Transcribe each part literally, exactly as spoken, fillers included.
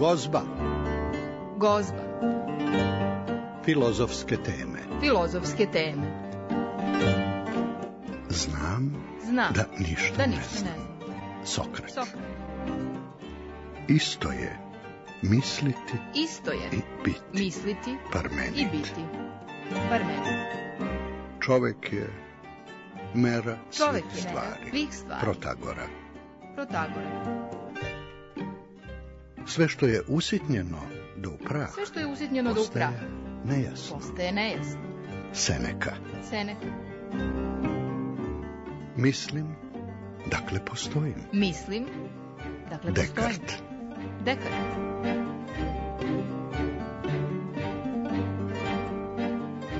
Gozba. Gozba. Filozofske teme. Filozofske teme. Znam, Znam da ništa, da ne ništa znam. ne znam. Sokrat. Sokrat. Isto je misliti Isto je i biti. misliti Parmenid. i biti. Parmenid. Čovek je mera Čovek svih je mera stvari. svih stvari. Protagora. Protagora. Sve što je usitnjeno do u prah Sve što je usitnjeno do u prah postaje nejasno. postaje nejasno. Seneka. Seneka. Mislim, dakle postojim. Mislim, dakle postojim. Dekart. Dekart.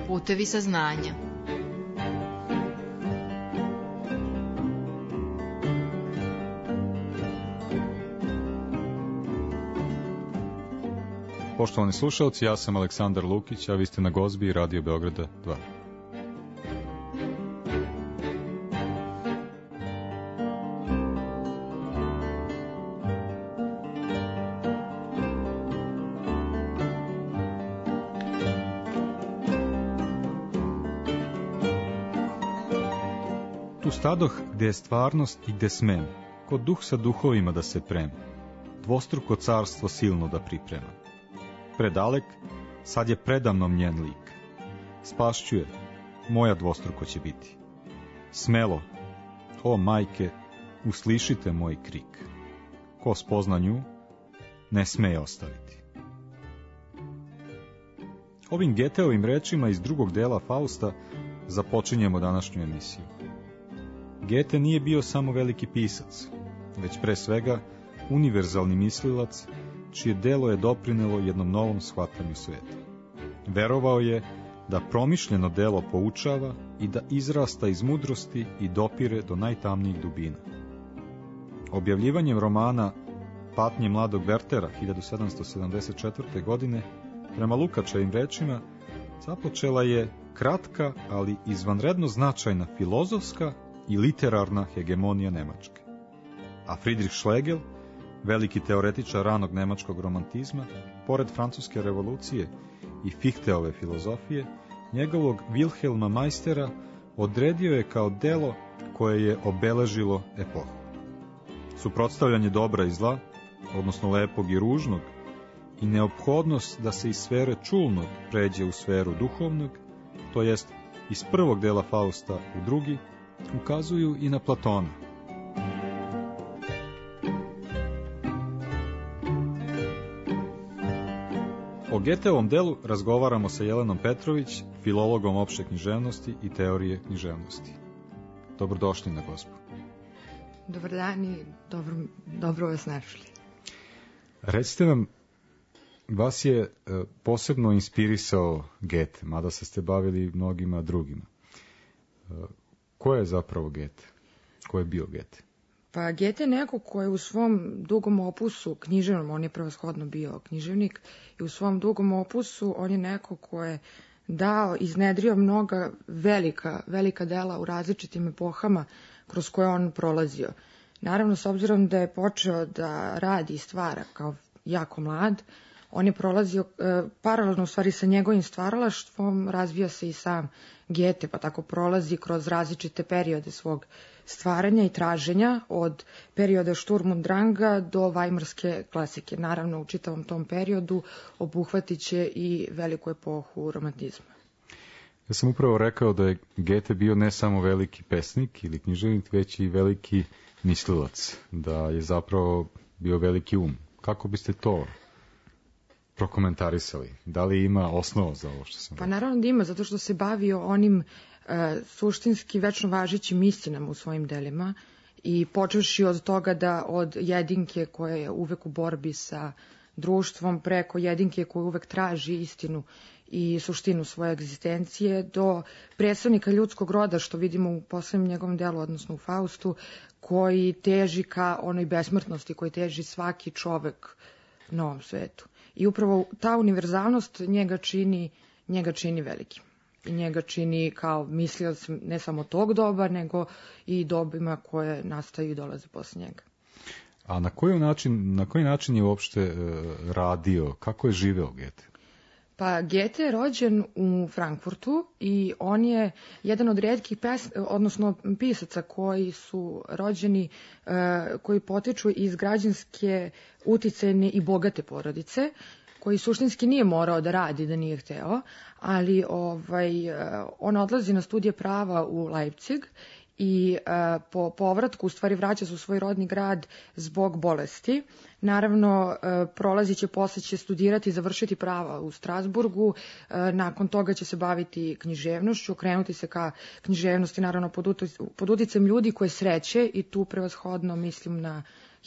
Putevi saznanja. Poštovani slušalci, ja sam Aleksandar Lukić, a vi ste na Gozbi i Radio Beograda dva. Tu stadoh gde je stvarnost i gde smem, ko duh sa duhovima da se prema, dvostruko carstvo silno da priprema. Predalek, sad je predamnom njen lik. Spašćuje, moja dvostruko će biti. Smelo, o majke, uslišite moj krik. Ko spozna nju, ne sme ostaviti. Ovim Geteovim rečima iz drugog dela Fausta započinjemo današnju emisiju. Gete nije bio samo veliki pisac, već pre svega univerzalni mislilac, čije delo je doprinelo jednom novom shvatanju sveta. Verovao je da promišljeno delo poučava i da izrasta iz mudrosti i dopire do najtamnijih dubina. Objavljivanjem romana Patnje mladog Wertera hiljadu sedamsto sedamdeset četvrte. godine, prema Lukačevim rečima, započela je kratka, ali izvanredno značajna filozofska i literarna hegemonija Nemačke. A Friedrich Schlegel, veliki teoretičar ranog nemačkog romantizma, pored francuske revolucije i Fichteove filozofije, njegovog Wilhelma Meistera odredio je kao delo koje je obeležilo epohu. Suprotstavljanje dobra i zla, odnosno lepog i ružnog, i neophodnost da se iz sfere čulnog pređe u sferu duhovnog, to jest iz prvog dela Fausta u drugi, ukazuju i na Platona. O Geteovom delu razgovaramo sa Jelenom Petrović, filologom opšte književnosti i teorije književnosti. Dobrodošli na Gozbu. Dobar dan i dobro, dobro vas našli. Recite nam, vas je posebno inspirisao Gete, mada se ste bavili mnogima drugima. Ko je zapravo Gete? Ko je bio Gete? Pa Gete je neko ko je u svom dugom opusu književnom, on je prevashodno bio književnik, i u svom dugom opusu on je neko ko je dao, iznedrio mnoga velika, velika dela u različitim epohama kroz koje on prolazio. Naravno, s obzirom da je počeo da radi i stvara kao jako mlad, on je prolazio e, paralelno u stvari sa njegovim stvaralaštvom, razvija se i sam Gete, pa tako prolazi kroz različite periode svog stvaranja i traženja, od perioda Sturm und Dranga do Weimarske klasike. Naravno, u čitavom tom periodu obuhvatit će i veliku epohu romantizma. Ja sam upravo rekao da je Gete bio ne samo veliki pesnik ili književnik, već i veliki mislilac, da je zapravo bio veliki um. Kako biste to prokomentarisali? Da li ima osnova za ovo što sam Pa rekao? naravno da ima, zato što se bavio onim e, suštinski večno važećim istinama u svojim delima i počevši od toga da od jedinke koja je uvek u borbi sa društvom, preko jedinke koja uvek traži istinu i suštinu svoje egzistencije, do predstavnika ljudskog roda, što vidimo u poslednjem njegovom delu, odnosno u Faustu, koji teži ka onoj besmrtnosti, koji teži svaki čovek na ovom svetu. I upravo ta univerzalnost njega čini, njega čini velikim. I njega čini kao mislioc ne samo tog doba, nego i dobima koje nastaju i dolaze posle njega. A na koji način, na koji način je uopšte e, radio, kako je živeo Goethe? Pa Goethe je rođen u Frankfurtu i on je jedan od rijetkih pes, odnosno pisaca koji su rođeni, e, koji potiču iz građanske, uticajne i bogate porodice, koji suštinski nije morao da radi da nije hteo, ali ovaj, on odlazi na studije prava u Leipzig i uh, po povratku u stvari vraća se u svoj rodni grad zbog bolesti. Naravno, uh, prolazit će, posle će studirati i završiti prava u Strasburgu, uh, nakon toga će se baviti književnošću, okrenuti se ka književnosti, naravno pod, utic, pod uticajem ljudi koje sreće, i tu prevashodno mislim na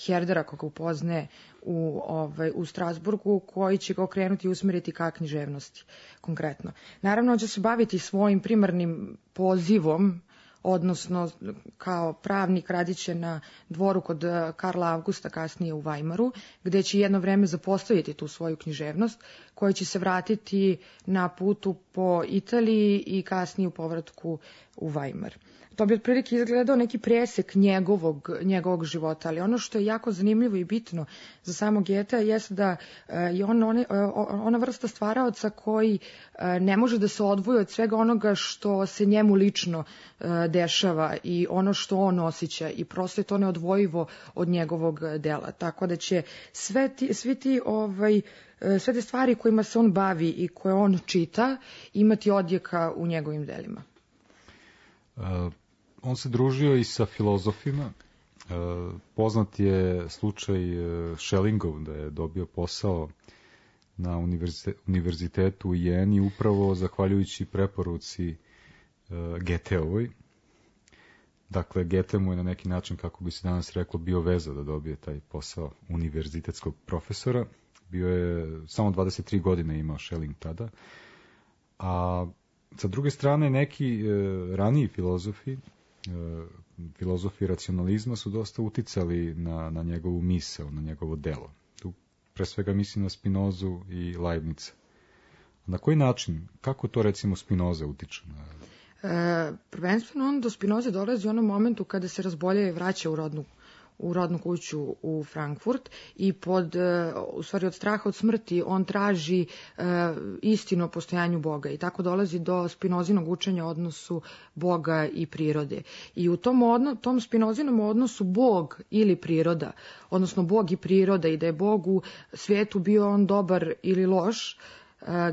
Herdera, koga upozne u, ovaj, u Strasburgu, koji će ga okrenuti i usmeriti ka književnosti konkretno. Naravno, on će se baviti svojim primarnim pozivom, odnosno kao pravnik radit će na dvoru kod Karla Augusta, kasnije u Weimaru, gde će jedno vreme zapostaviti tu svoju književnost, koja će se vratiti na putu po Italiji i kasnije u povratku u Weimar. To bi otprilike izgledao neki presek njegovog, njegovog života, ali ono što je jako zanimljivo i bitno za samog Goethea jeste da je on one, ona vrsta stvaraoca koji ne može da se odvoji od svega onoga što se njemu lično dešava i ono što on osjeća, i prosto je to neodvojivo od njegovog dela. Tako da će sve ti, svi ti ovaj, sve te stvari kojima se on bavi i koje on čita imati odjeka u njegovim delima. Uh, on se družio i sa filozofima. Uh, poznat je slučaj uh, Schellingov, da je dobio posao na univerzitetu u Jeni upravo zahvaljujući preporuci uh, Goetheovoj. Dakle, Goethe mu je na neki način, kako bi se danas reklo, bio veza da dobije taj posao univerzitetskog profesora. Bio je, samo dvadeset tri godine imao Schelling tada. A sa druge strane, neki e, raniji filozofi, e, filozofi racionalizma su dosta uticali na, na njegovu misao, na njegovo delo. Tu pre svega mislim na Spinozu i Leibnica. Na koji način, kako to recimo Spinoza utiče na... E, prvenstveno on do Spinoze dolazi u onom momentu kada se razbolje i vraća u rodnu u rodnu kuću u Frankfurt i pod, u stvari od straha od smrti on traži e, istinu o postojanju Boga i tako dolazi do Spinozinog učenja o odnosu Boga i prirode. I u tom, odno, tom Spinozinom odnosu Bog ili priroda, odnosno Bog i priroda, i da je Bog u svijetu bio on dobar ili loš,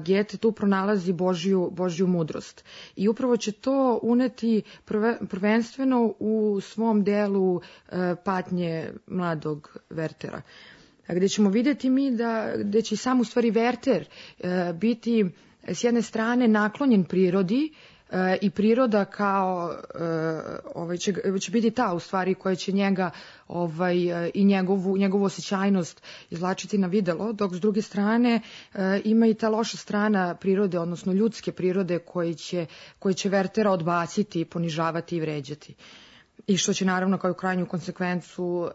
Goethe tu pronalazi Božju, Božju mudrost. I upravo će to uneti prve, prvenstveno u svom delu e, patnje mladog Wertera. Gde ćemo vidjeti mi da, gde će sam u stvari Werther e, biti s jedne strane naklonjen prirodi, i priroda kao ovaj će, će biti ta u stvari koja će njega ovaj i njegovu njegovu osjećajnost izvlačiti na videlo, dok s druge strane ima i ta loša strana prirode, odnosno ljudske prirode, koji će koji će Wertera odbaciti, ponižavati i vređati. I što će naravno kao krajnju konsekvencu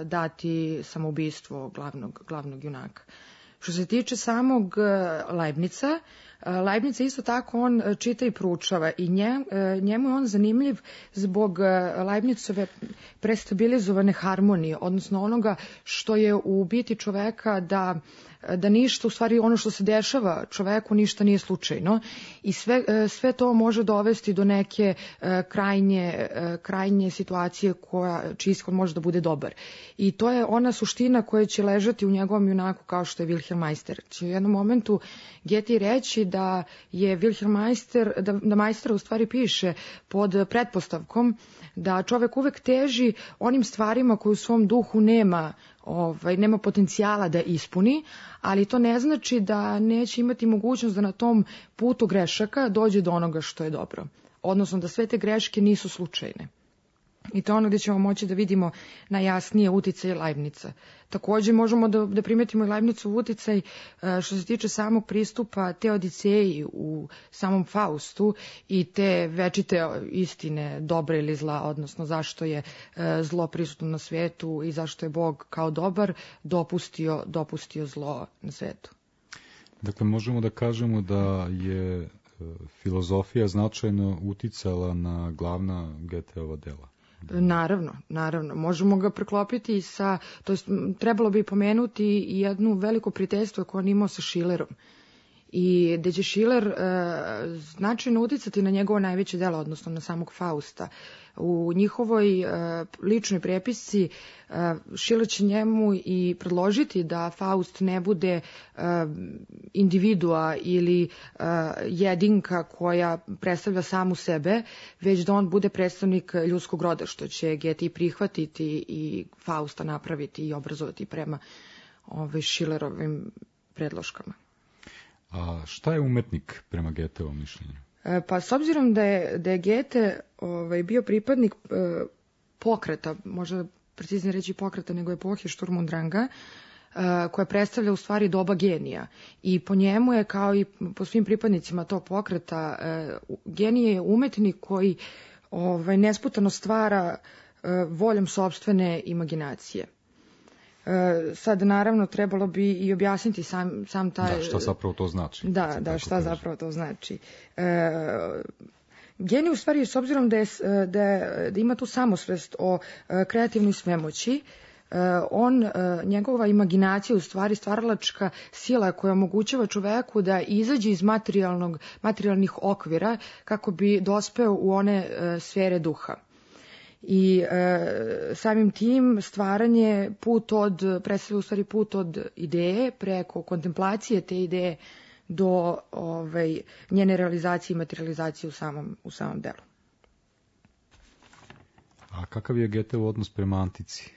dati samoubistvo glavnog glavnog junaka. Što se tiče samog Leibnica, Leibnica isto tako on čita i proučava i nje, njemu je on zanimljiv zbog Leibnicove prestabilizovane harmonije, odnosno onoga što je u biti čoveka da da ništa, u stvari ono što se dešava čoveku, ništa nije slučajno i sve, sve to može dovesti do neke krajnje, krajnje situacije koja, čiji ishod može da bude dobar. I to je ona suština koja će ležati u njegovom junaku kao što je Wilhelm Meister. Će u jednom momentu Goethe reći da je Wilhelm Meister, da, da Meister u stvari piše pod pretpostavkom da čovek uvek teži onim stvarima koje u svom duhu nema, ovaj, nema potencijala da ispuni, ali to ne znači da neće imati mogućnost da na tom putu grešaka dođe do onoga što je dobro. Odnosno da sve te greške nisu slučajne. I to je ono gdje ćemo moći da vidimo najjasnije uticaj Leibnica. Također možemo da, da primetimo i Leibnicov uticaj što se tiče samog pristupa te Odiseji u samom Faustu i te večite istine dobra ili zla, odnosno zašto je zlo prisutno na svetu i zašto je Bog kao dobar dopustio, dopustio zlo na svetu. Dakle, možemo da kažemo da je filozofija značajno uticala na glavna Goetheova dela. Naravno, naravno. Možemo ga preklopiti sa, to jest trebalo bi pomenuti i jednu veliko prijateljstvo koje on imao sa Schillerom. I gde će Schiller e, značajno uticati na njegovo najveće delo, odnosno na samog Fausta. U njihovoj e, ličnoj prepisci e, Schiller će njemu i predložiti da Faust ne bude e, individua ili e, jedinka koja predstavlja samu sebe, već da on bude predstavnik ljudskog roda, što će Goethe i prihvatiti i Fausta napraviti i obrazovati prema ove Schillerovim predloškama. A šta je umetnik prema Goetheovom mišljenju? E, pa s obzirom da je, da je Goethe ovaj, bio pripadnik e, pokreta, možda preciznije reći pokreta nego epohe Sturm und Dranga, e, koja predstavlja u stvari doba genija. I po njemu je, kao i po svim pripadnicima tog pokreta, e, genije je umetnik koji ovaj, nesputano stvara e, voljom sopstvene imaginacije. Sad, naravno, trebalo bi i objasniti sam, sam taj... Da, šta zapravo to znači. Da, da, šta kaže. zapravo to znači. E, genij, u stvari, s obzirom da, je, da, je, da ima tu samosvest o kreativnoj svemoći, on, njegova imaginacija, u stvari stvaralačka sila koja omogućava čoveku da izađe iz materijalnog, materijalnih okvira kako bi dospeo u one sfere duha. I e, samim tim stvaranje put od, predstavlja u stvari put od ideje preko kontemplacije te ideje do ovaj, njene realizacije i materializacije u samom, u samom delu. A kakav je Goetheov odnos prema antici?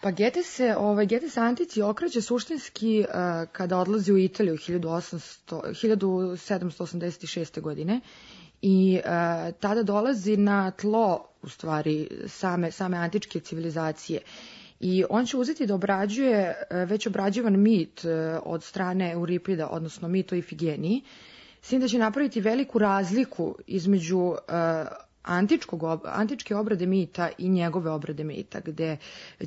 Pa Goethe se, ovaj, Goethe se antici okreće suštinski uh, kada odlazi u Italiju hiljadu sedamsto osamdeset šeste. godine i uh, tada dolazi na tlo u stvari same, same antičke civilizacije. I on će uzeti da obrađuje već obrađivan mit od strane Euripida, odnosno mit o Ifigeniji, s tim da će napraviti veliku razliku između uh, antičkog, antičke obrade mita i njegove obrade mita, gde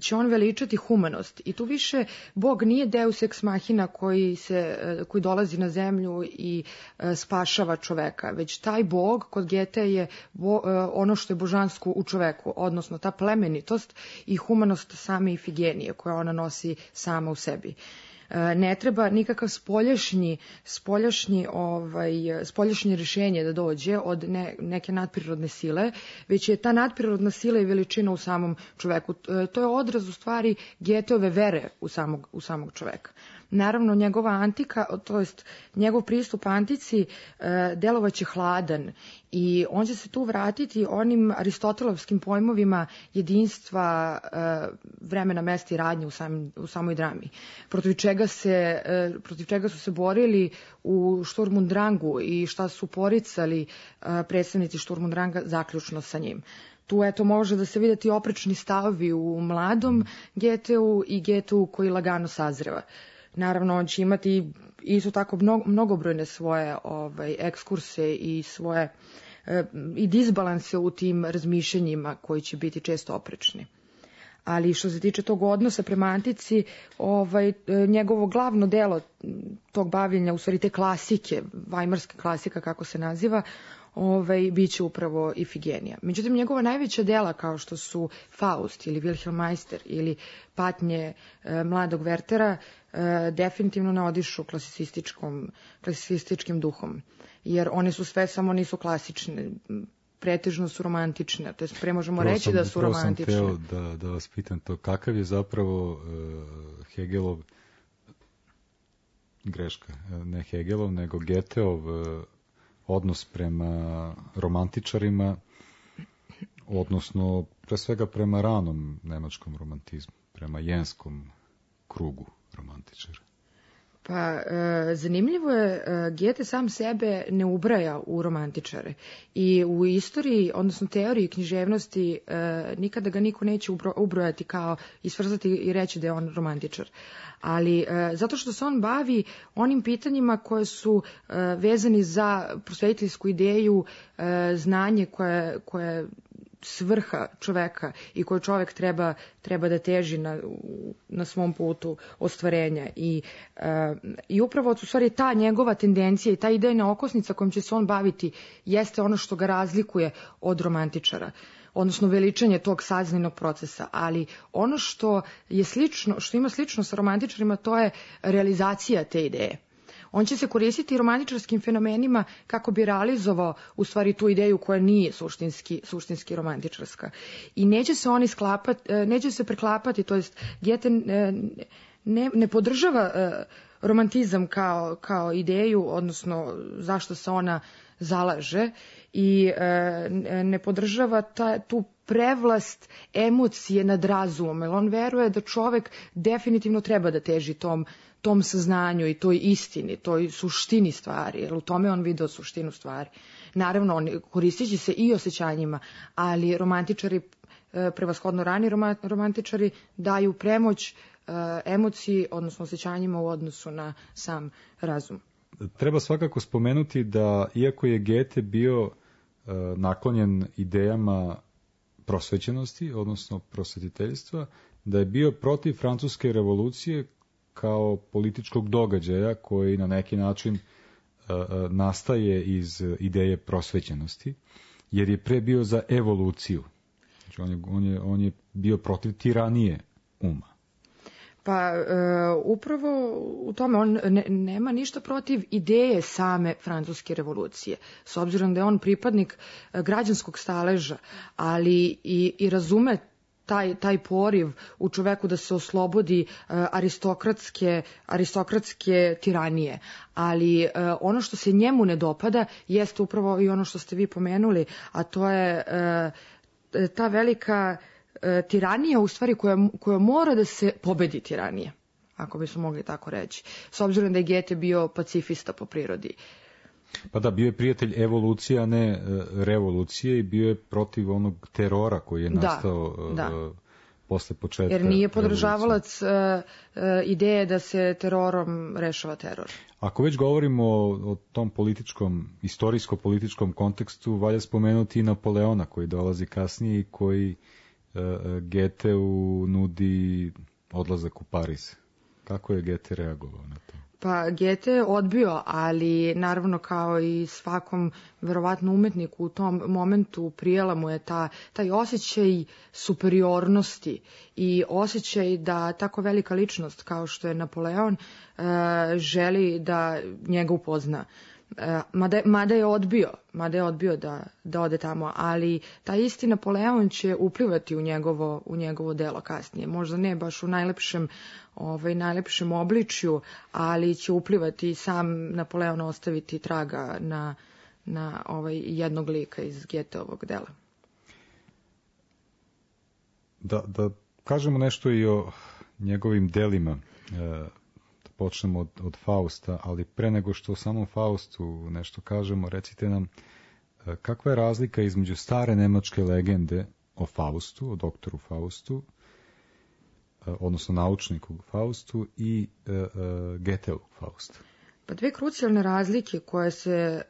će on veličati humanost. I tu više Bog nije deus ex machina koji, se, koji dolazi na zemlju i spašava čoveka, već taj Bog kod Goethe je bo, ono što je božansko u čoveku, odnosno ta plemenitost i humanost same Ifigenije koja ona nosi sama u sebi. Ne treba nikakav spoljašnji, spoljašnji, ovaj, spoljašnje rješenje da dođe od ne, neke nadprirodne sile, već je ta nadprirodna sila i veličina u samom čoveku. To je odraz u stvari Goetheove vere u samog, u samog čoveka. Naravno, njegova antika, to jest njegov pristup antici delovaće hladan i on će se tu vratiti onim aristotelovskim pojmovima jedinstva, vremena, mesta i radnje u, sam, u samoj drami, protiv čega, se, protiv čega su se borili u Sturm und Drangu i šta su poricali predstavnici Sturm und Dranga zaključno sa njim. Tu eto može da se vidjeti oprečni stavovi u mladom Goetheu i Goetheu koji lagano sazreva. Naravno, on će imati isto tako mnogo, mnogobrojne svoje ovaj, ekskurse i svoje e, i disbalanse u tim razmišljanjima koji će biti često oprečni. Ali što se tiče tog odnosa prema antici, ovaj, njegovo glavno delo tog bavljenja, u stvari te klasike, vajmarska klasika kako se naziva, ovaj, bit će upravo Ifigenija. Međutim, njegova najveća dela kao što su Faust ili Wilhelm Meister ili Patnje e, mladog Wertera e, definitivno ne odišu klasicističkom, klasicističkim duhom, jer one su sve samo nisu klasične, pretežno su romantične, to jest pre možemo reći sam, da su romantične. Prvo sam hteo da, da vas pitam to, kakav je zapravo uh, Hegelov, greška, ne Hegelov, nego Goetheov uh, odnos prema romantičarima, odnosno pre svega prema ranom nemačkom romantizmu, prema jenskom krugu romantičara. Pa, e, zanimljivo je, e, Goethe sam sebe ne ubraja u romantičare i u istoriji, odnosno teoriji književnosti, e, nikada ga niko neće ubro, ubrojati kao i svrzati i reći da je on romantičar. Ali e, zato što se on bavi onim pitanjima koje su e, vezani za prosvetiteljsku ideju, e, znanje koje, koje svrha čoveka i koju čovek treba, treba da teži na, na svom putu ostvarenja. I, e, i upravo u stvari ta njegova tendencija i ta idejna okosnica kojom će se on baviti jeste ono što ga razlikuje od romantičara. odnosno veličanje tog saznajnog procesa, ali ono što je slično, što ima slično sa romantičarima, to je realizacija te ideje. On će se koristiti romantičarskim fenomenima kako bi realizovao u stvari tu ideju koja nije suštinski, suštinski romantičarska. I neće se oni sklapati, neće se preklapati, to jest Goethe ne, ne podržava romantizam kao, kao ideju, odnosno zašto se ona zalaže, i ne podržava ta, tu prevlast emocije nad razumom, jer on veruje da čovek definitivno treba da teži tom tom saznanju i toj istini, toj suštini stvari, jer u tome on video suštinu stvari. Naravno, on koristići se i osjećanjima, ali romantičari, prevashodno rani romantičari, daju premoć emociji, odnosno osjećanjima u odnosu na sam razum. Treba svakako spomenuti da, iako je Goethe bio naklonjen idejama prosvećenosti, odnosno prosvetiteljstva, da je bio protiv francuske revolucije kao političkog događaja koji na neki način uh, nastaje iz ideje prosvećenosti, jer je pre bio za evoluciju. Znači on je, on je, on je bio protiv tiranije uma. Pa e, upravo u tome on ne, nema ništa protiv ideje same francuske revolucije, s obzirom da je on pripadnik građanskog staleža, ali i, i razume Taj, taj poriv u čoveku da se oslobodi uh, aristokratske, aristokratske tiranije. Ali uh, ono što se njemu ne dopada jeste upravo i ono što ste vi pomenuli, a to je uh, ta velika uh, tiranija u stvari koja, koja mora da se pobedi tiranije, ako bismo mogli tako reći. S obzirom da je Goethe bio pacifista po prirodi. Pa da, bio je prijatelj evolucije, a ne revolucije, i bio je protiv onog terora koji je nastao da, da. posle početka. Jer nije podržavalac uh, uh, ideje da se terorom rešava teror. Ako već govorimo o, o tom političkom, istorijsko-političkom kontekstu, valja spomenuti i Napoleona koji dolazi kasnije i koji uh, Goetheu nudi odlazak u Pariz. Kako je Goethe reagovao na to? Pa Goethe je odbio, ali naravno kao i svakom verovatno umetniku u tom momentu prijela mu je ta, taj osjećaj superiornosti i osjećaj da tako velika ličnost kao što je Napoleon e, želi da njega upozna. E, mada, mada je odbio, mada je odbio da, da ode tamo, ali taj isti Napoleon će uplivati u njegovo, u njegovo delo kasnije. Možda ne baš u najlepšem ovaj, najlepšem obličju, ali će uplivati sam Napoleon ostaviti traga na, na ovaj jednog lika iz Goetheovog dela. Da, da kažemo nešto i o njegovim delima. E, počnemo od, od Fausta, ali pre nego što o samom Faustu nešto kažemo, recite nam e, kakva je razlika između stare nemačke legende o Faustu, o doktoru Faustu, odnosno naučniku Faustu, i e, e, Goetheovog Fausta? Pa dve krucijalne razlike koje se e,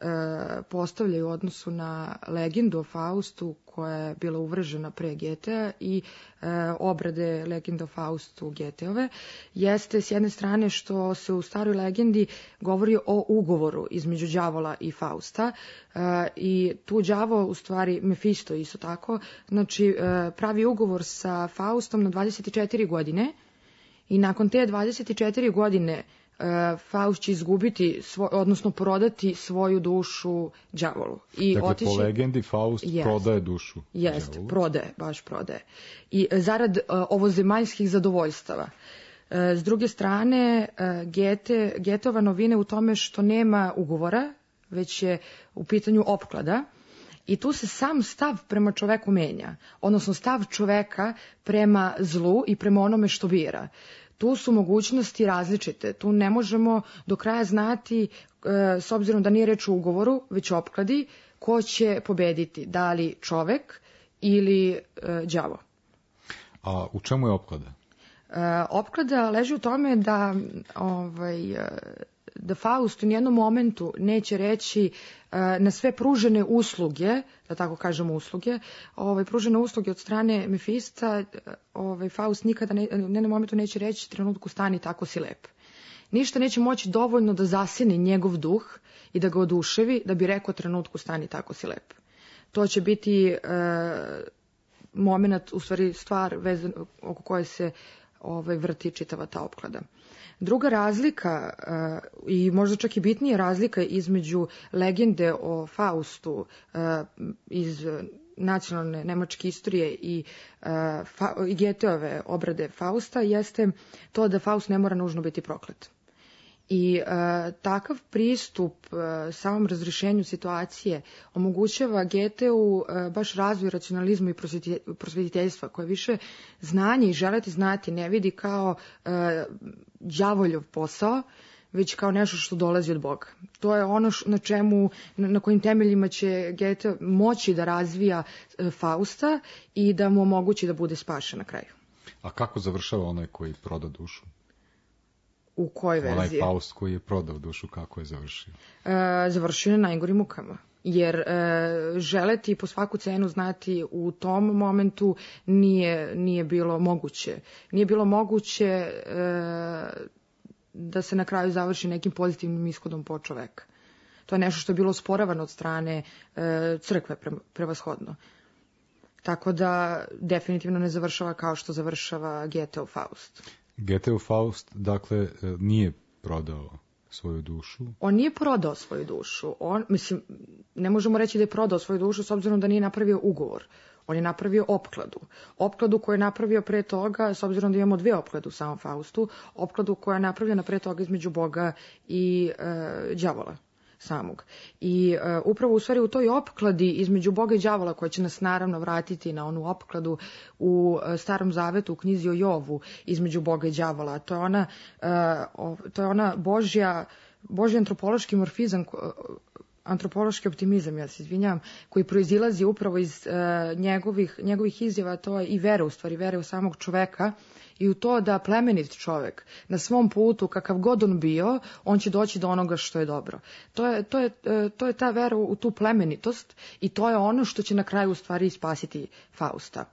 postavljaju u odnosu na legendu o Faustu koja je bila uvržena pre Goethea i e, obrade legende o Faustu Goetheove jeste s jedne strane što se u staroj legendi govori o ugovoru između đavola i Fausta e, i tu đavo u stvari Mefisto isto tako, znači e, pravi ugovor sa Faustom na dvadeset četiri godine i nakon te dvadeset četiri godine Faust će izgubiti, svoj, odnosno prodati svoju dušu đavolu. I dakle, otići... po legendi Faust jest, prodaje dušu jest, đavolu. prodaje, baš prodaje. I zarad uh, ovozemaljskih zadovoljstava. Uh, s druge strane, uh, Goethe, Goethova novine u tome što nema ugovora, već je u pitanju opklada. I tu se sam stav prema čoveku menja, odnosno stav čoveka prema zlu i prema onome što bira. Tu su mogućnosti različite, tu ne možemo do kraja znati, e, s obzirom da nije reč o ugovoru, već opkladi, ko će pobediti, da li čovek ili e, đavo. A u čemu je opklada? E, opklada leži u tome da ovaj, da Faust u nijednom momentu neće reći uh, na sve pružene usluge, da tako kažemo usluge, ovaj, pružene usluge od strane Mefista, ovaj, Faust nikada ne, u nijednom momentu neće reći trenutku stani, tako si lep. Ništa neće moći dovoljno da zaseni njegov duh i da ga oduševi, da bi rekao trenutku stani, tako si lep. To će biti uh, moment, u stvari stvar vezan, oko koje se ovaj, vrti čitava ta opklada. Druga razlika uh, i možda čak i bitnija razlika između legende o Faustu uh, iz nacionalne nemačke istorije i, uh, fa, i Goetheove obrade Fausta jeste to da Faust ne mora nužno biti proklet. I e, takav pristup e, samom razrešenju situacije omogućava Goetheu e, baš razvoj racionalizma i prosvetiteljstva, koje više znanje i želeti znati ne vidi kao e, đavoljov posao, već kao nešto što dolazi od Boga. To je ono š, na čemu, na, na kojim temeljima će Goethe moći da razvija e, Fausta i da mu omogući da bude spašen na kraju. A kako završava onaj koji proda dušu? U kojoj verziji? Onaj Faust koji je prodao dušu, kako je završio? E, završio je na najgorim mukama. Jer e, želeti po svaku cenu znati u tom momentu nije, nije bilo moguće. Nije bilo moguće e, da se na kraju završi nekim pozitivnim ishodom po čoveka. To je nešto što je bilo osporavano od strane e, crkve pre, prevashodno. Tako da definitivno ne završava kao što završava Goetheu Faust. Goetheu Faust, dakle, nije prodao svoju dušu? On nije prodao svoju dušu. On, mislim, ne možemo reći da je prodao svoju dušu s obzirom da nije napravio ugovor. On je napravio opkladu. Opkladu koju je napravio pre toga, s obzirom da imamo dve opklade u samom Faustu, opkladu koja je napravljena pre toga između Boga i e, đavola samog. I uh, upravo u stvari u toj opkladi između Boga i đavola, koja će nas naravno vratiti na onu opkladu u uh, Starom Zavetu, u knjizi o Jovu, između Boga i đavola. To je ona, uh, to je ona Božja, Božji antropološki morfizam, uh, antropološki optimizam, ja se izvinjam, koji proizilazi upravo iz uh, njegovih, njegovih izjava, to je i vere u stvari, vere u samog čoveka, i u to da plemenit čovek na svom putu, kakav god on bio, on će doći do onoga što je dobro. To je, to je, to je ta vera u tu plemenitost i to je ono što će na kraju u stvari spasiti Fausta.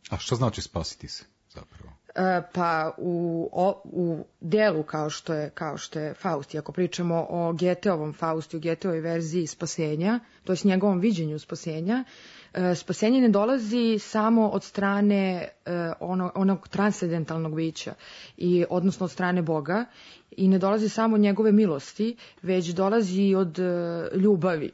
A što znači spasiti se zapravo? E, pa u, o, u delu kao što je, kao što je Faust, i ako pričamo o Goetheovom Faustu, Goetheovoj verziji spasenja, to je s njegovom viđenju spasenja, spasenje ne dolazi samo od strane ono, onog transcendentalnog bića, i, odnosno od strane Boga, i ne dolazi samo od njegove milosti, već dolazi od ljubavi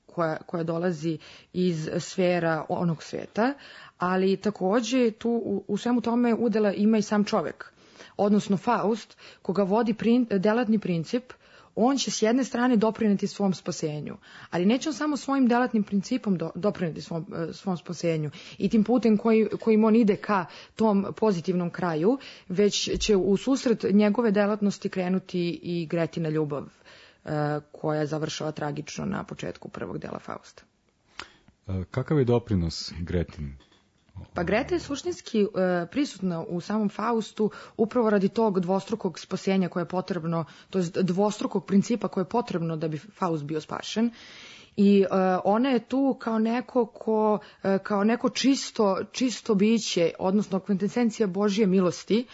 koja, koja dolazi iz sfera onog sveta, ali takođe tu u, u svemu tome udela ima i sam čovek, odnosno Faust, koga vodi prin, delatni princip. On će s jedne strane doprineti svom spasenju, ali neće on samo svojim delatnim principom do, doprineti svom, svom spasenju i tim putem koji, kojim on ide ka tom pozitivnom kraju, već će u susret njegove delatnosti krenuti i Gretina ljubav, uh, koja završava tragično na početku prvog dela Fausta. Kakav je doprinos Gretin? Pa Greta je suštinski e, prisutna u samom Faustu upravo radi tog dvostrukog spasenja koje je potrebno, to je dvostrukog principa koje je potrebno da bi Faust bio spašen. I e, ona je tu kao neko ko, e, kao neko čisto, čisto biće, odnosno kvintesencija Božje milosti,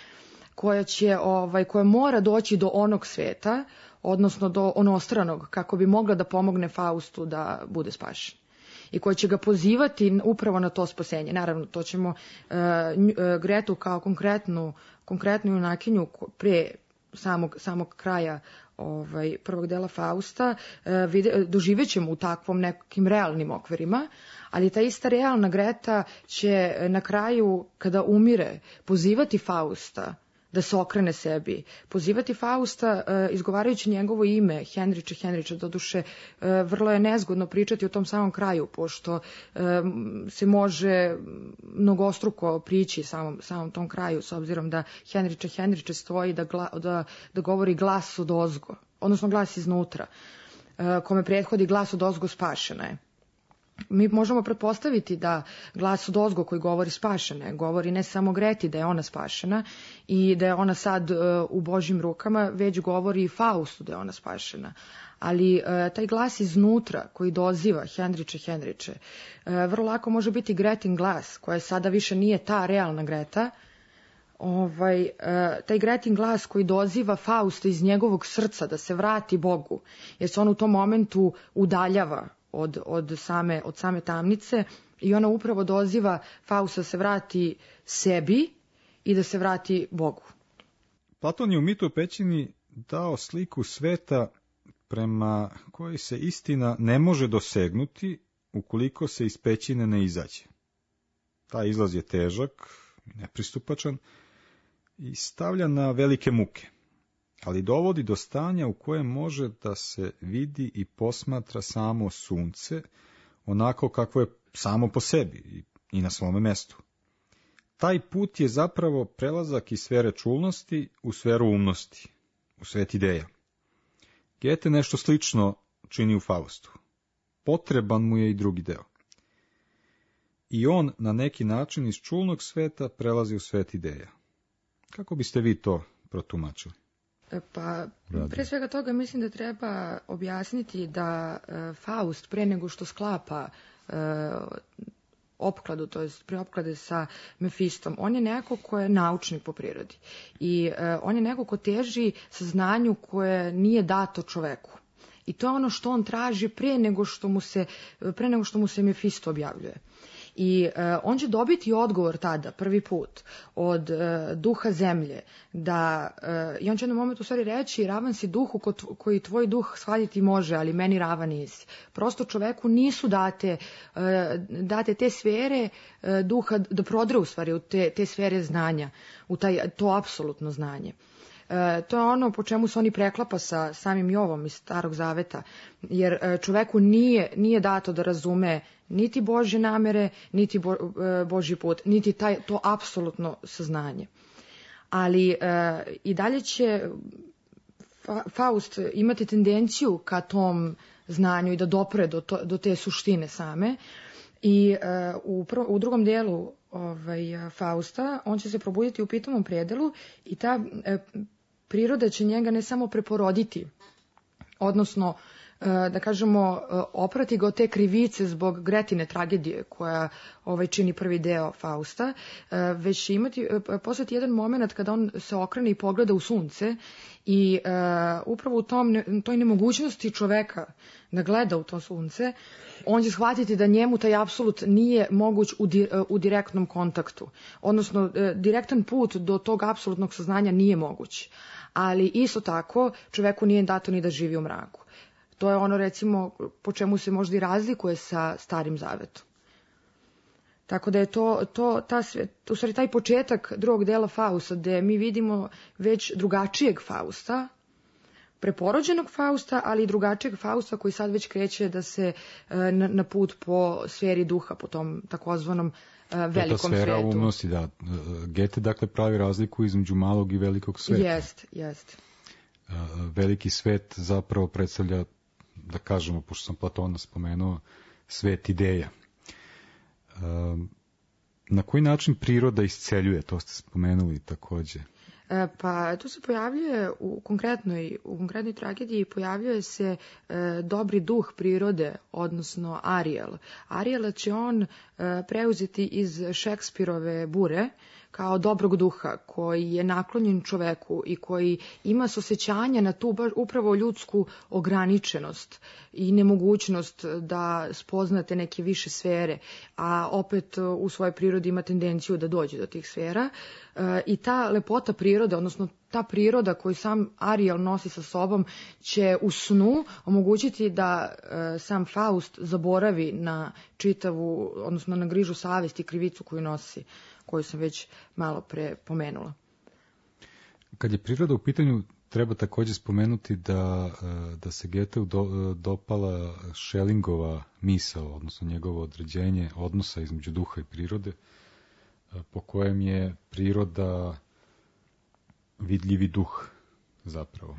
koja će, ovaj, koja mora doći do onog sveta, odnosno do onostranog, kako bi mogla da pomogne Faustu da bude spašen. I koja će ga pozivati upravo na to spasenje. Naravno, to ćemo uh, Gretu kao konkretnu, konkretnu junakinju pre samog, samog kraja ovaj, prvog dela Fausta uh, vide, doživjet ćemo u takvom nekim realnim okvirima, ali ta ista realna Greta će na kraju, kada umire, pozivati Fausta da se okrene sebi, pozivati Fausta uh, izgovarajući njegovo ime, Henriče, Henriče, doduše uh, vrlo je nezgodno pričati o tom samom kraju, pošto uh, se može mnogostruko prići samom, samom tom kraju, s obzirom da Henriče, Henriče stoji da, gla, da, da govori glas od ozgo, odnosno glas iznutra, uh, kome prethodi glas od ozgo spašena je. Mi možemo pretpostaviti da glas od ozgo koji govori spašena, govori ne samo Greti da je ona spašena i da je ona sad uh, u Božjim rukama, već govori i Faustu da je ona spašena. Ali uh, taj glas iznutra koji doziva Henriče, Henriče, uh, vrlo lako može biti Gretin glas, koja sada više nije ta realna Greta, ovaj, uh, taj Gretin glas koji doziva Fausta iz njegovog srca da se vrati Bogu, jer se on u tom momentu udaljava Od, od, same, od same tamnice I ona upravo doziva Fausta da se vrati sebi i da se vrati Bogu. Platon je u Mitu o pećini dao sliku sveta prema kojoj se istina ne može dosegnuti ukoliko se iz pećine ne izađe. Taj izlaz je težak, nepristupačan i stavlja na velike muke, ali dovodi do stanja u kojem može da se vidi i posmatra samo sunce, onako kako je samo po sebi i na svome mestu. Taj put je zapravo prelazak iz sfere čulnosti u sferu umnosti, u svet ideja. Goethe nešto slično čini u Faustu. Potreban mu je i drugi deo. I on na neki način iz čulnog sveta prelazi u svet ideja. Kako biste vi to protumačili? Pa, pre svega toga mislim da treba objasniti da e, Faust pre nego što sklapa e, opkladu, to jest pre opklade sa Mefistom, on je neko ko je naučnik po prirodi. I e, on je neko ko teži saznanju koje nije dato čoveku. I to je ono što on traži pre nego što mu se, pre nego što mu se Mefisto objavljuje. I e, on će dobiti odgovor tada, prvi put, od e, duha zemlje, da, e, i on će jednom momentu u stvari reći, ravan si duhu ko, koji tvoj duh shvatiti može, ali meni ravan nisi. Prosto čoveku nisu date, e, date te sfere e, duha da prodre u stvari u te, te sfere znanja, u taj, to apsolutno znanje. E, to je ono po čemu se oni preklapa sa samim Jovom iz Starog Zaveta, jer e, čoveku nije, nije dato da razume niti Božje namere, niti bo, e, Božji put, niti taj, to apsolutno saznanje. Ali e, i dalje će Fa, Faust imati tendenciju ka tom znanju i da dopre do, to, do te suštine same. I e, u, prvo, u drugom delu ovaj, Fausta on će se probuditi u pitomom predelu i ta e, priroda će njega ne samo preporoditi, odnosno da kažemo oprati ga od te krivice zbog Gretine tragedije koja ovaj čini prvi deo Fausta, već će imati postati jedan moment kada on se okrene i pogleda u sunce i uh, upravo u tom, toj nemogućnosti čoveka da gleda u to sunce, on će shvatiti da njemu taj apsolut nije moguć u, di, u direktnom kontaktu, odnosno uh, direktan put do tog apsolutnog saznanja nije moguć, ali isto tako čoveku nije dato ni da živi u mraku. To je ono, recimo, po čemu se možda i razlikuje sa Starim Zavetom. Tako da je to, to ta, u stvari taj početak drugog dela Fausta, gde mi vidimo već drugačijeg Fausta, preporođenog Fausta, ali i drugačijeg Fausta koji sad već kreće da se na, na put po sferi duha, po tom takozvanom velikom svetu. Ta sfera umnosti, da. Goethe, dakle, pravi razliku između malog i velikog sveta. Jest, jest. Veliki svet zapravo predstavlja, da kažemo, pošto sam Platona spomenuo, svet ideja. Na koji način priroda isceljuje, to ste spomenuli takođe? Pa tu se pojavljuje u konkretnoj, u konkretnoj tragediji pojavljuje se e, dobri duh prirode, odnosno Ariel. Ariela će on e, preuzeti iz Šekspirove Bure kao dobrog duha koji je naklonjen čoveku i koji ima osjećanje na tu upravo ljudsku ograničenost i nemogućnost da spoznate neke više sfere, a opet u svojoj prirodi ima tendenciju da dođe do tih sfera. E, I ta lepota prirode, odnosno ta priroda koju sam Ariel nosi sa sobom, će u snu omogućiti da e, sam Faust zaboravi na čitavu, odnosno na grižu savesti i krivicu koju nosi, koju sam već malo pre pomenula. Kad je priroda u pitanju, treba takođe spomenuti da, da se Goetheu do, dopala Schellingova misao, odnosno njegovo određenje odnosa između duha i prirode, po kojem je priroda vidljivi duh zapravo.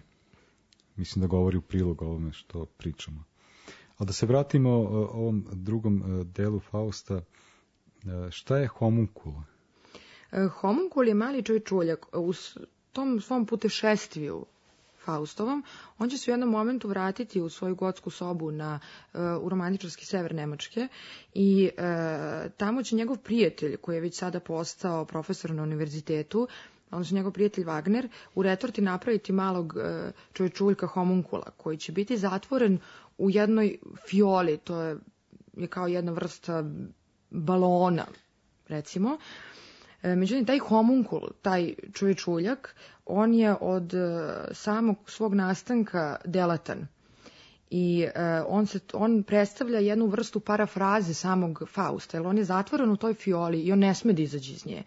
Mislim da govori u prilog ovome što pričamo. Ali da se vratimo ovom drugom delu Fausta, šta je homunkul? Homunkul je mali čovječuljak. U tom svom putešestviju Faustovom, on će se u jednom momentu vratiti u svoju gotsku sobu na, u romantičarski sever Nemačke i e, tamo će njegov prijatelj, koji je već sada postao profesor na univerzitetu, odnosno njegov prijatelj Wagner, u retorti napraviti malog e, čovječuljka homunkula, koji će biti zatvoren u jednoj fioli, to je, je kao jedna vrsta balona, recimo. Međutim, taj homunkul, taj čovječuljak, on je od samog svog nastanka delatan. I on, se, on predstavlja jednu vrstu parafraze samog Fausta, jer on je zatvoren u toj fioli i on ne sme da izađe iz nje.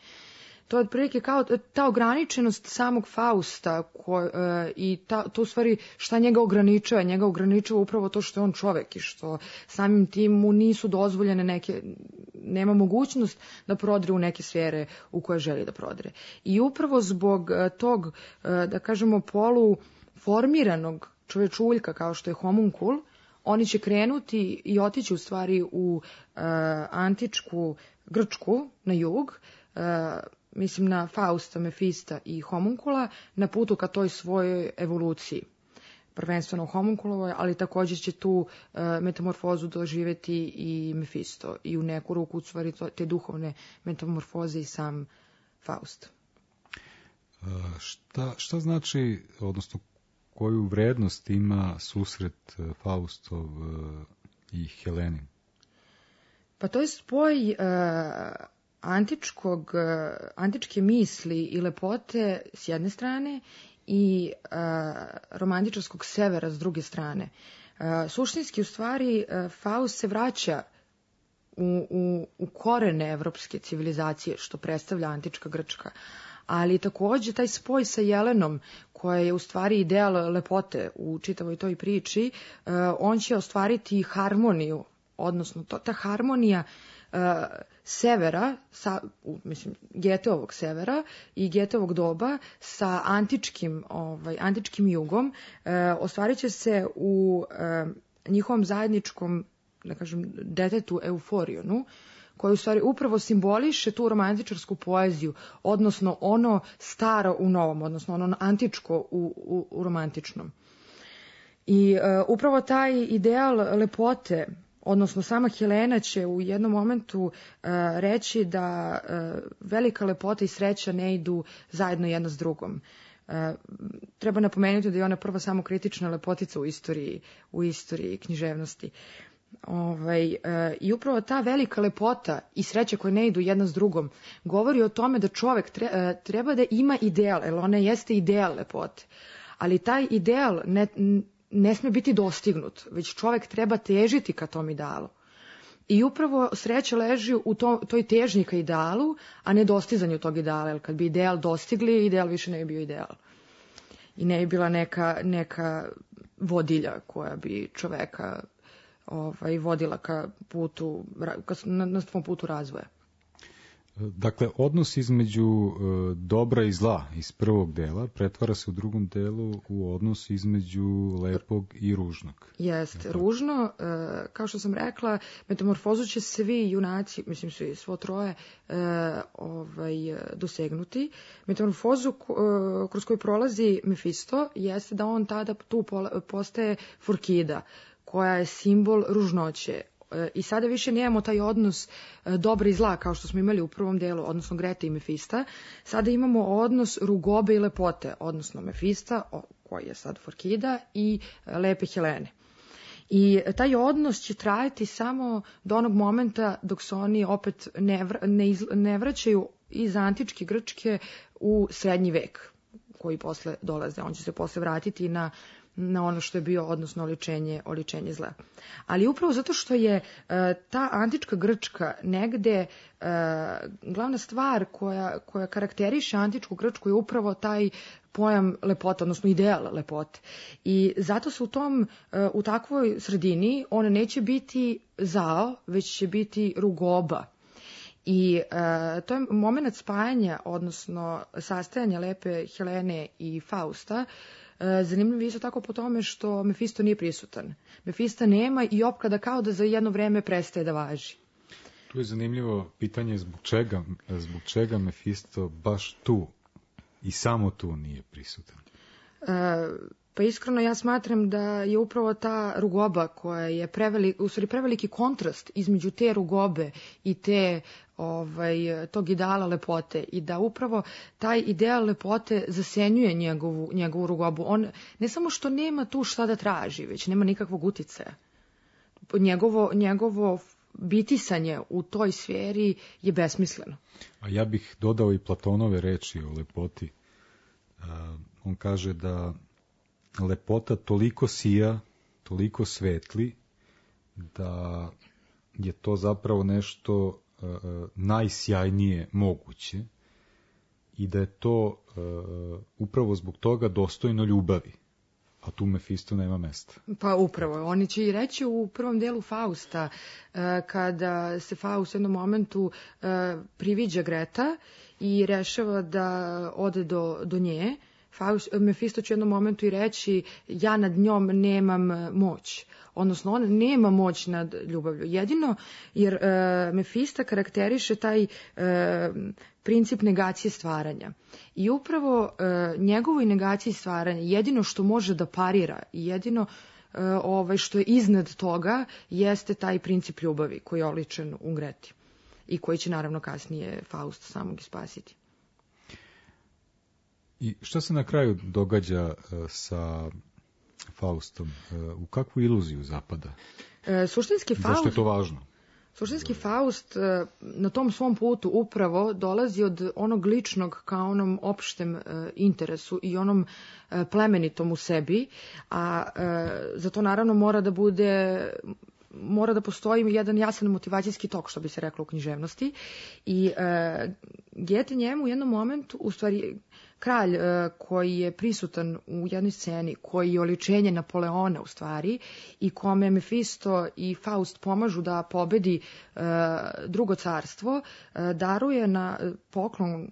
To je otprilike kao ta ograničenost samog Fausta ko, uh, i ta, to u stvari šta njega ograničava. Njega ograničava upravo to što je on čovek i što samim tim mu nisu dozvoljene neke, nema mogućnost da prodre u neke sfere u koje želi da prodre. I upravo zbog uh, tog, uh, da kažemo, polu formiranog čovečuljka kao što je homunkul, oni će krenuti i otići u stvari u uh, antičku Grčku na jug, uh, mislim na Fausta, Mefista i homunkula, na putu ka toj svojoj evoluciji. Prvenstveno homunkulovoj, ali također će tu uh, metamorfozu doživjeti i Mefisto i u neku ruku u stvari to, te duhovne metamorfoze i sam Faust. Uh, šta, šta znači, odnosno koju vrednost ima susret Faustov uh, i Heleni? Pa to je spoj uh, antičkog, uh, antičke misli i lepote s jedne strane i uh, romantičarskog severa s druge strane. Uh, suštinski, u stvari, uh, Faust se vraća u, u, u korene evropske civilizacije, što predstavlja antička Grčka. Ali također taj spoj sa Jelenom, koja je u stvari ideal lepote u čitavoj toj priči, uh, on će ostvariti harmoniju, odnosno to, ta harmonija uh, severa, sa, u, mislim, Geteovog severa i Geteovog doba sa antičkim, ovaj, antičkim jugom, uh, ostvarit će se u uh, njihovom zajedničkom, da kažem, detetu Euforionu, koji u stvari upravo simboliše tu romantičarsku poeziju, odnosno ono staro u novom, odnosno ono antičko u, u, u romantičnom. I uh, upravo taj ideal lepote, odnosno sama Helena će u jednom momentu uh, reći da uh, velika lepota i sreća ne idu zajedno jedna s drugom. Uh, treba napomenuti da je ona prva samokritična lepotica u istoriji, u istoriji književnosti. Ovaj, e, I upravo ta velika lepota i sreća koje ne idu jedna s drugom govori o tome da čovek tre, e, treba da ima ideal, jer ona jeste ideal lepote. Ali taj ideal ne, ne sme biti dostignut, već čovek treba težiti ka tom idealu. I upravo sreća leži u to, toj težnji ka idealu, a ne dostizanju tog ideala. Jer kad bi ideal dostigli, ideal više ne bi bio ideal. I ne bi bila neka, neka vodilja koja bi čoveka ovaj, vodila ka putu, ka, na, na svom putu razvoja. Dakle, odnos između e, dobra i zla iz prvog dela pretvara se u drugom delu u odnos između lepog i ružnog. Jest, ružno, e, kao što sam rekla, metamorfozu će svi junaci, mislim svi, svo troje, e, ovaj, dosegnuti. Metamorfozu e, kroz koju prolazi Mefisto jeste da on tada tu postaje Forkida, koja je simbol ružnoće. I sada više nemamo taj odnos dobra i zla kao što smo imali u prvom delu, odnosno Grete i Mefista. Sada imamo odnos rugobe i lepote, odnosno Mefista, koji je sad Forkida, i lepe Helene. I taj odnos će trajati samo do onog momenta dok se oni opet ne, vr, ne, iz, ne vraćaju iz antičke Grčke u srednji vek, koji posle dolaze. On će se posle vratiti na na ono što je bio, odnosno oličenje, oličenje zla. Ali upravo zato što je uh, ta antička Grčka negde uh, glavna stvar koja, koja karakteriše antičku Grčku je upravo taj pojam lepota, odnosno ideal lepote. I zato se u tom, uh, u takvoj sredini on neće biti zao, već će biti rugoba. I uh, to je moment spajanja, odnosno sastajanja lepe Helene i Fausta. Zanimljivo je isto tako po tome što Mefisto nije prisutan. Mefista nema i opkada kao da za jedno vreme prestaje da važi. Tu je zanimljivo pitanje zbog čega, zbog čega Mefisto baš tu i samo tu nije prisutan. E, pa iskreno ja smatram da je upravo ta rugoba koja je prevelik, u stvari preveliki kontrast između te rugobe i te ovaj, tog ideala lepote i da upravo taj ideal lepote zasenjuje njegovu, njegovu rugobu. On ne samo što nema tu šta da traži, već nema nikakvog uticaja. Njegovo, njegovo bitisanje u toj sferi je besmisleno. A ja bih dodao i Platonove reči o lepoti. Uh, on kaže da lepota toliko sija, toliko svetli, da je to zapravo nešto uh, najsjajnije moguće i da je to uh, upravo zbog toga dostojno ljubavi. A tu Mefisto nema mesta. Pa upravo, oni će i reći u prvom delu Fausta, kada se Faust u jednom momentu priviđa Greta i rešava da ode do, do nje, Faust, Mefisto će u jednom momentu i reći ja nad njom nemam moć. Odnosno, on nema moć nad ljubavlju. Jedino, jer e, Mefista karakteriše taj e, princip negacije stvaranja. I upravo e, njegovoj negaciji stvaranja, jedino što može da parira i jedino e, ovaj, što je iznad toga, jeste taj princip ljubavi koji je oličen u Greti. I koji će naravno kasnije Faust samog ispasiti. I šta se na kraju događa uh, sa Faustom? Uh, u kakvu iluziju zapada? E, suštinski Faust... Zašto je to važno? Suštinski Faust uh, na tom svom putu upravo dolazi od onog ličnog ka onom opštem uh, interesu i onom uh, plemenitom u sebi, a uh, za to naravno mora da bude... mora da postoji jedan jasan motivacijski tok, što bi se reklo u književnosti. I uh, Goethe njemu u jednom momentu, u stvari kralj uh, koji je prisutan u jednoj sceni, koji je oličenje Napoleona u stvari i kome Mefisto i Faust pomažu da pobedi uh, drugo carstvo, uh, daruje na poklon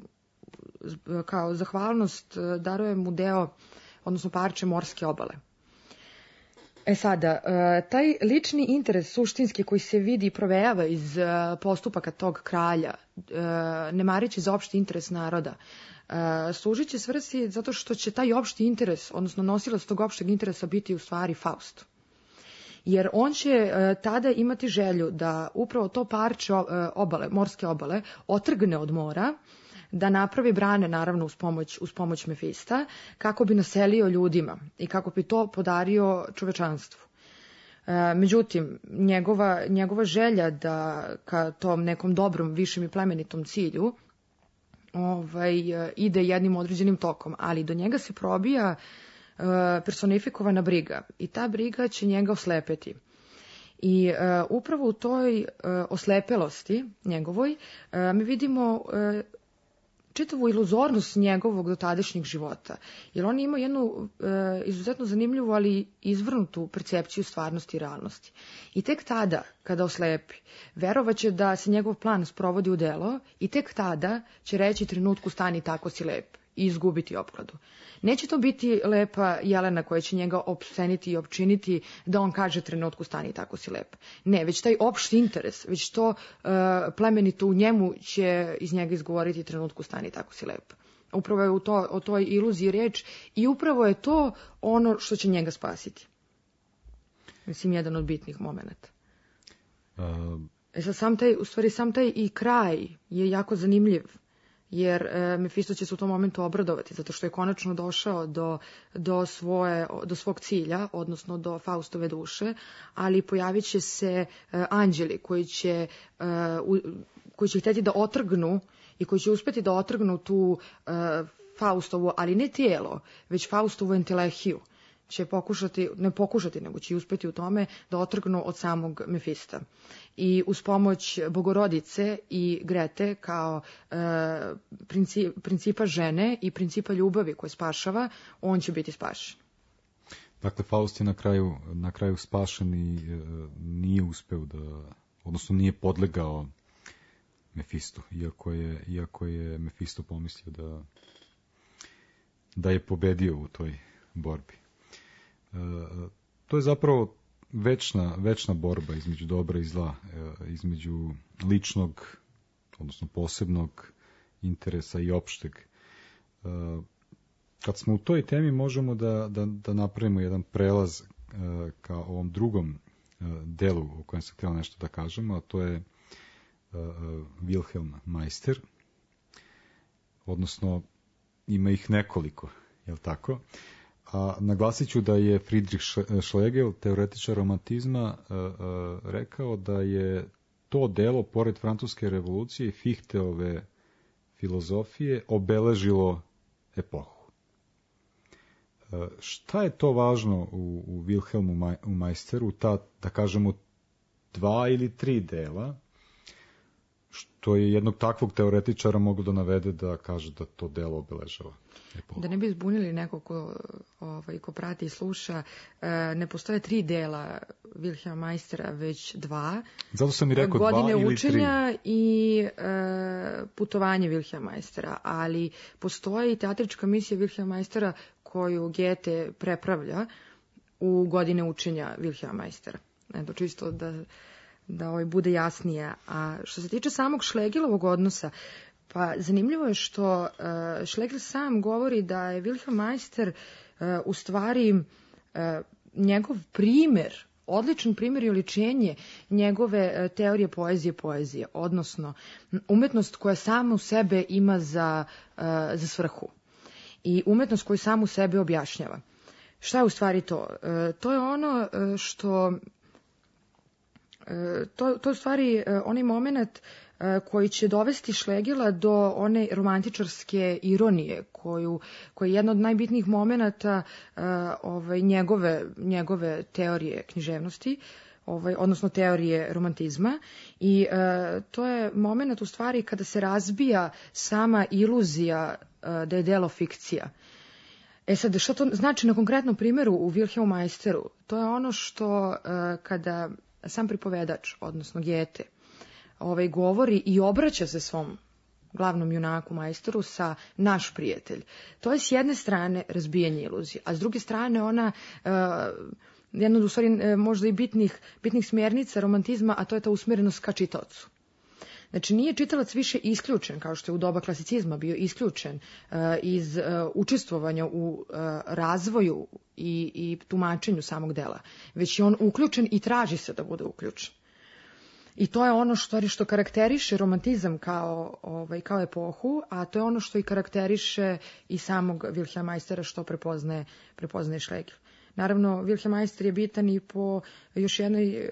uh, kao zahvalnost, uh, daruje mu deo, odnosno parče morske obale. E sada, taj lični interes suštinski koji se vidi i provejava iz postupaka tog kralja, ne marići za opšti interes naroda, služit će svrsi zato što će taj opšti interes, odnosno nosilac tog opšteg interesa biti u stvari Faust. Jer on će tada imati želju da upravo to parče obale, morske obale, otrgne od mora, da napravi brane, naravno, uz pomoć, uz pomoć Mefista, kako bi naselio ljudima i kako bi to podario čovečanstvu. E, međutim, njegova, njegova želja da ka tom nekom dobrom, višem i plemenitom cilju ovaj, ide jednim određenim tokom, ali do njega se probija e, personifikovana briga i ta briga će njega oslepeti. I e, upravo u toj e, oslepelosti njegovoj e, mi vidimo e, čitavu iluzornost njegovog dotadašnjeg života. Jer on ima jednu e, izuzetno zanimljivu, ali izvrnutu percepciju stvarnosti i realnosti. I tek tada, kada oslepi, verovaće da se njegov plan sprovodi u delo i tek tada će reći trenutku stani tako si lep i izgubiti opkladu. Neće to biti lepa Jelena koja će njega opseniti i opčiniti da on kaže trenutku stani tako si lep. Ne, već taj opšti interes, već to uh, plemenito u njemu će iz njega izgovoriti trenutku stani tako si lep. Upravo je u to, o toj iluziji reč i upravo je to ono što će njega spasiti. Mislim, jedan od bitnih momenata. Uh... E sad, sam taj, u stvari, sam taj i kraj je jako zanimljiv. Jer e, Mefisto će se u tom momentu obradovati, zato što je konačno došao do, do, svoje, do svog cilja, odnosno do Faustove duše, ali pojavit će se e, anđeli koji će, e, u, koji će htjeti da otrgnu i koji će uspjeti da otrgnu tu e, Faustovu, ali ne tijelo, već Faustovu entelehiju. Će pokušati, ne pokušati, nego će uspjeti u tome da otrgnu od samog Mefista. I uz pomoć Bogorodice i Grete kao e, princip, principa žene i principa ljubavi koje spašava, on će biti spašen. Dakle, Faust je na kraju, na kraju spašen i e, nije uspeo da, odnosno nije podlegao Mefistu, iako je, iako je Mefisto pomislio da, da je pobedio u toj borbi. To je zapravo večna, večna borba između dobra i zla, između ličnog, odnosno posebnog interesa i opšteg. Kad smo u toj temi možemo da, da, da napravimo jedan prelaz ka ovom drugom delu o kojem sam htjela nešto da kažemo, a to je Wilhelm Meister, odnosno ima ih nekoliko, je li tako? A naglasit ću da je Friedrich Schlegel, teoretičar romantizma, rekao da je to delo, pored francuske revolucije i Fichteove filozofije, obeležilo epohu. E, šta je to važno u, u Wilhelmu Maj, u Meisteru, ta, da kažemo, dva ili tri dela, što je jednog takvog teoretičara moglo da navede da kaže da to delo obeležava epohu? Da ne bi zbunili neko ko, ovaj, ko prati i sluša, ne postoje tri dela Wilhelma Meistera, već dva. Zato sam i rekao Godine dva ili tri. Godine učenja i e, putovanje Wilhelma Meistera, ali postoji i teatrička misija Wilhelma Meistera koju Goethe prepravlja u Godine učenja Wilhelma Meistera. Eto, čisto da, da ovaj bude jasnije. A što se tiče samog Schlegelovog odnosa, pa zanimljivo je što uh, Schlegel sam govori da je Wilhelm Meister uh, u stvari uh, njegov primer, odličan primer i oličenje njegove uh, teorije poezije poezije, odnosno umetnost koja sama u sebe ima za, uh, za svrhu i umetnost koju sam u sebe objašnjava. Šta je u stvari to? Uh, to je ono uh, što uh, to, to je u stvari uh, onaj moment koji će dovesti Schlegela do one romantičarske ironije, koju, koji je jedna od najbitnijih momenata uh, ovaj, njegove, njegove teorije književnosti, ovaj, odnosno teorije romantizma. I uh, to je moment u stvari kada se razbija sama iluzija uh, da je delo fikcija. E sad, što to znači na konkretnom primjeru u Wilhelmu Meisteru? To je ono što uh, kada sam pripovedač, odnosno Goethe, ovaj, govori i obraća se svom glavnom junaku Meisteru sa naš prijatelj. To je s jedne strane razbijanje iluzije, a s druge strane ona uh, jedna od u stvari uh, možda i bitnih, bitnih smjernica romantizma, a to je ta usmjerenost ka čitaocu. Znači nije čitalac više isključen, kao što je u doba klasicizma bio isključen uh, iz uh, učestvovanja u uh, razvoju i, i tumačenju samog dela, već je on uključen i traži se da bude uključen. I to je ono što, što karakteriše romantizam kao, ovaj, kao epohu, a to je ono što i karakteriše i samog Wilhelma Meistera što prepoznaje, prepoznaje Schlegel. Naravno, Wilhelm Meister je bitan i po još jednoj,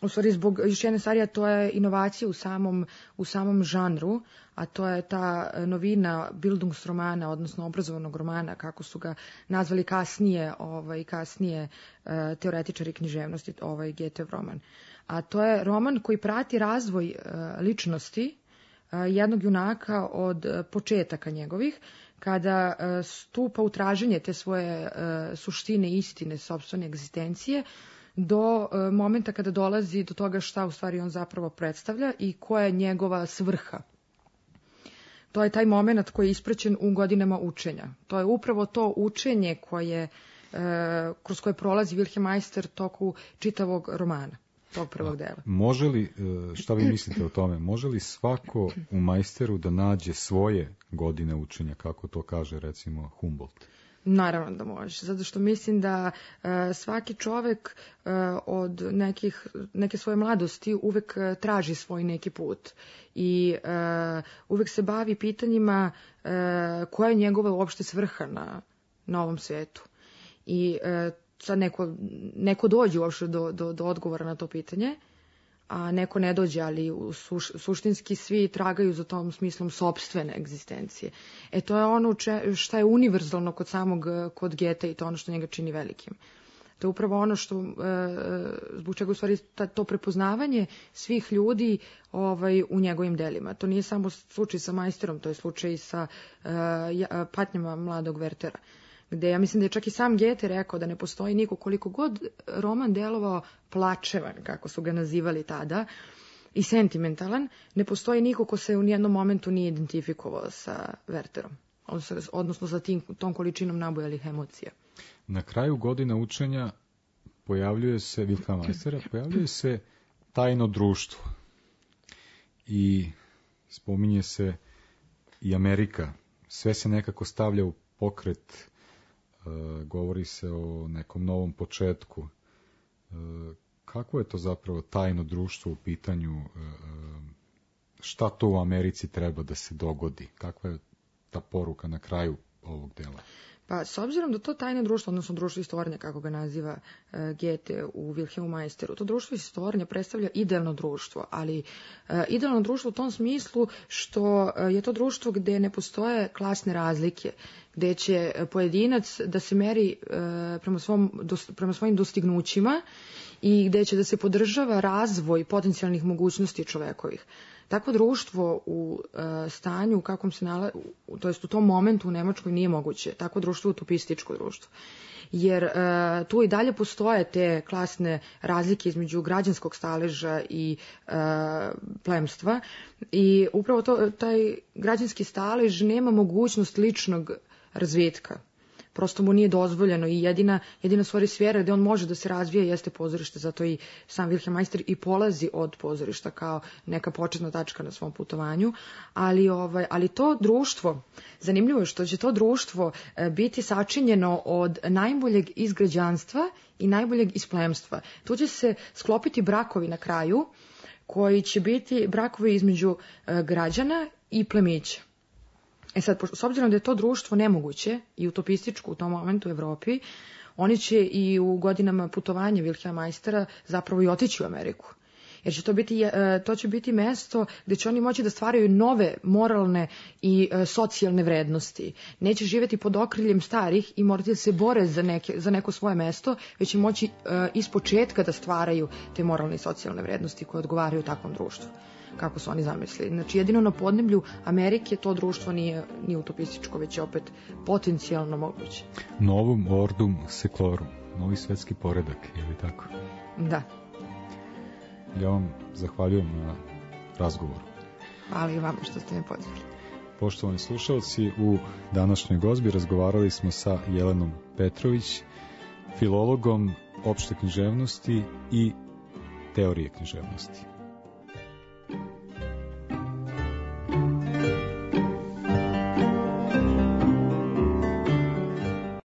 u stvari zbog još jedne stvari, a to je inovacija u samom, u samom žanru, a to je ta novina Bildungsromana, odnosno obrazovanog romana, kako su ga nazvali kasnije, ovaj, kasnije uh, teoretičari književnosti, ovaj Goethev roman. A to je roman koji prati razvoj uh, ličnosti uh, jednog junaka od uh, početaka njegovih, kada uh, stupa u traženje te svoje uh, suštine i istine sopstvene egzistencije, do uh, momenta kada dolazi do toga šta u stvari on zapravo predstavlja i koja je njegova svrha. To je taj moment koji je ispraćen u Godinama učenja. To je upravo to učenje koje, uh, kroz koje prolazi Wilhelm Meister toku čitavog romana, tog prvog dela. Može li, šta vi mislite o tome, može li svako u Meisteru da nađe svoje godine učenja, kako to kaže recimo Humboldt? Naravno da može, zato što mislim da uh, svaki čovek uh, od nekih, neke svoje mladosti uvek uh, traži svoj neki put i uh, uvek se bavi pitanjima uh, koja je njegova uopšte svrha na, na ovom svetu. I uh, sad neko, neko dođe uopšte do, do, do odgovora na to pitanje, a neko ne dođe, ali u suš, suštinski svi tragaju za tom smislom sopstvene egzistencije. E to je ono če, šta je univerzalno kod samog, kod Goethe i to ono što njega čini velikim. To je upravo ono što, e, zbog čega u stvari ta, to prepoznavanje svih ljudi ovaj, u njegovim delima. To nije samo slučaj sa Meisterom, to je slučaj sa e, patnjama mladog Wertera, gde ja mislim da je čak i sam Goethe rekao da ne postoji niko, koliko god roman delovao plačevan, kako su ga nazivali tada, i sentimentalan, ne postoji niko ko se u nijednom momentu nije identifikovao sa Werterom, odnosno sa tim, tom količinom nabujalih emocija. Na kraju Godina učenja pojavljuje se, Wilhelma Meistera, pojavljuje se tajno društvo i spominje se i Amerika. Sve se nekako stavlja u pokret, govori se o nekom novom početku. Kako je to zapravo tajno društvo u pitanju, šta to u Americi treba da se dogodi? Kakva je ta poruka na kraju ovog dela? Pa, s obzirom da to tajno društvo, odnosno društvo istvornja, kako ga naziva uh, Goethe u Wilhelmu Meisteru, to društvo istvornja predstavlja idealno društvo, ali uh, idealno društvo u tom smislu što uh, je to društvo gde ne postoje klasne razlike, gde će pojedinac da se meri uh, prema, svom, dos, prema svojim dostignućima i gde će da se podržava razvoj potencijalnih mogućnosti čovekovih. Takvo društvo u uh, stanju u kakvom se nalazi, to jest u tom momentu u Nemačkoj nije moguće. Takvo društvo je utopističko društvo. Jer uh, tu i dalje postoje te klasne razlike između građanskog staleža i uh, plemstva i upravo to, taj građanski stalež nema mogućnost ličnog razvitka. Prosto mu nije dozvoljeno i jedina, jedina stvari sfera gde on može da se razvije jeste pozorište, zato i sam Wilhelm Meister i polazi od pozorišta kao neka početna tačka na svom putovanju, ali, ovaj, ali to društvo, zanimljivo je što će to društvo biti sačinjeno od najboljeg iz građanstva i najboljeg iz plemstva. Tu će se sklopiti brakovi na kraju, koji će biti brakovi između građana i plemića. E sad, s obzirom da je to društvo nemoguće i utopističko u tom momentu u Evropi, oni će i u godinama putovanja Wilhelma Meistera zapravo i otići u Ameriku. Jer će to biti, to će biti mesto gde će oni moći da stvaraju nove moralne i socijalne vrednosti. Neće živjeti pod okriljem starih i morati da se bore za, neke, za neko svoje mesto, već će moći iz početka da stvaraju te moralne i socijalne vrednosti koje odgovaraju takvom društvu, kako su oni zamislili. Znači, jedino na podneblju Amerike to društvo nije, nije utopističko, već je opet potencijalno moguće. Novum ordum seclorum, novi svetski poredak, je li tako? Da. Ja vam zahvaljujem na razgovoru. Hvala i vama što ste me pozvali. Poštovani slušalci, u današnjoj gozbi razgovarali smo sa Jelenom Petrović, filologom opšte književnosti i teorije književnosti.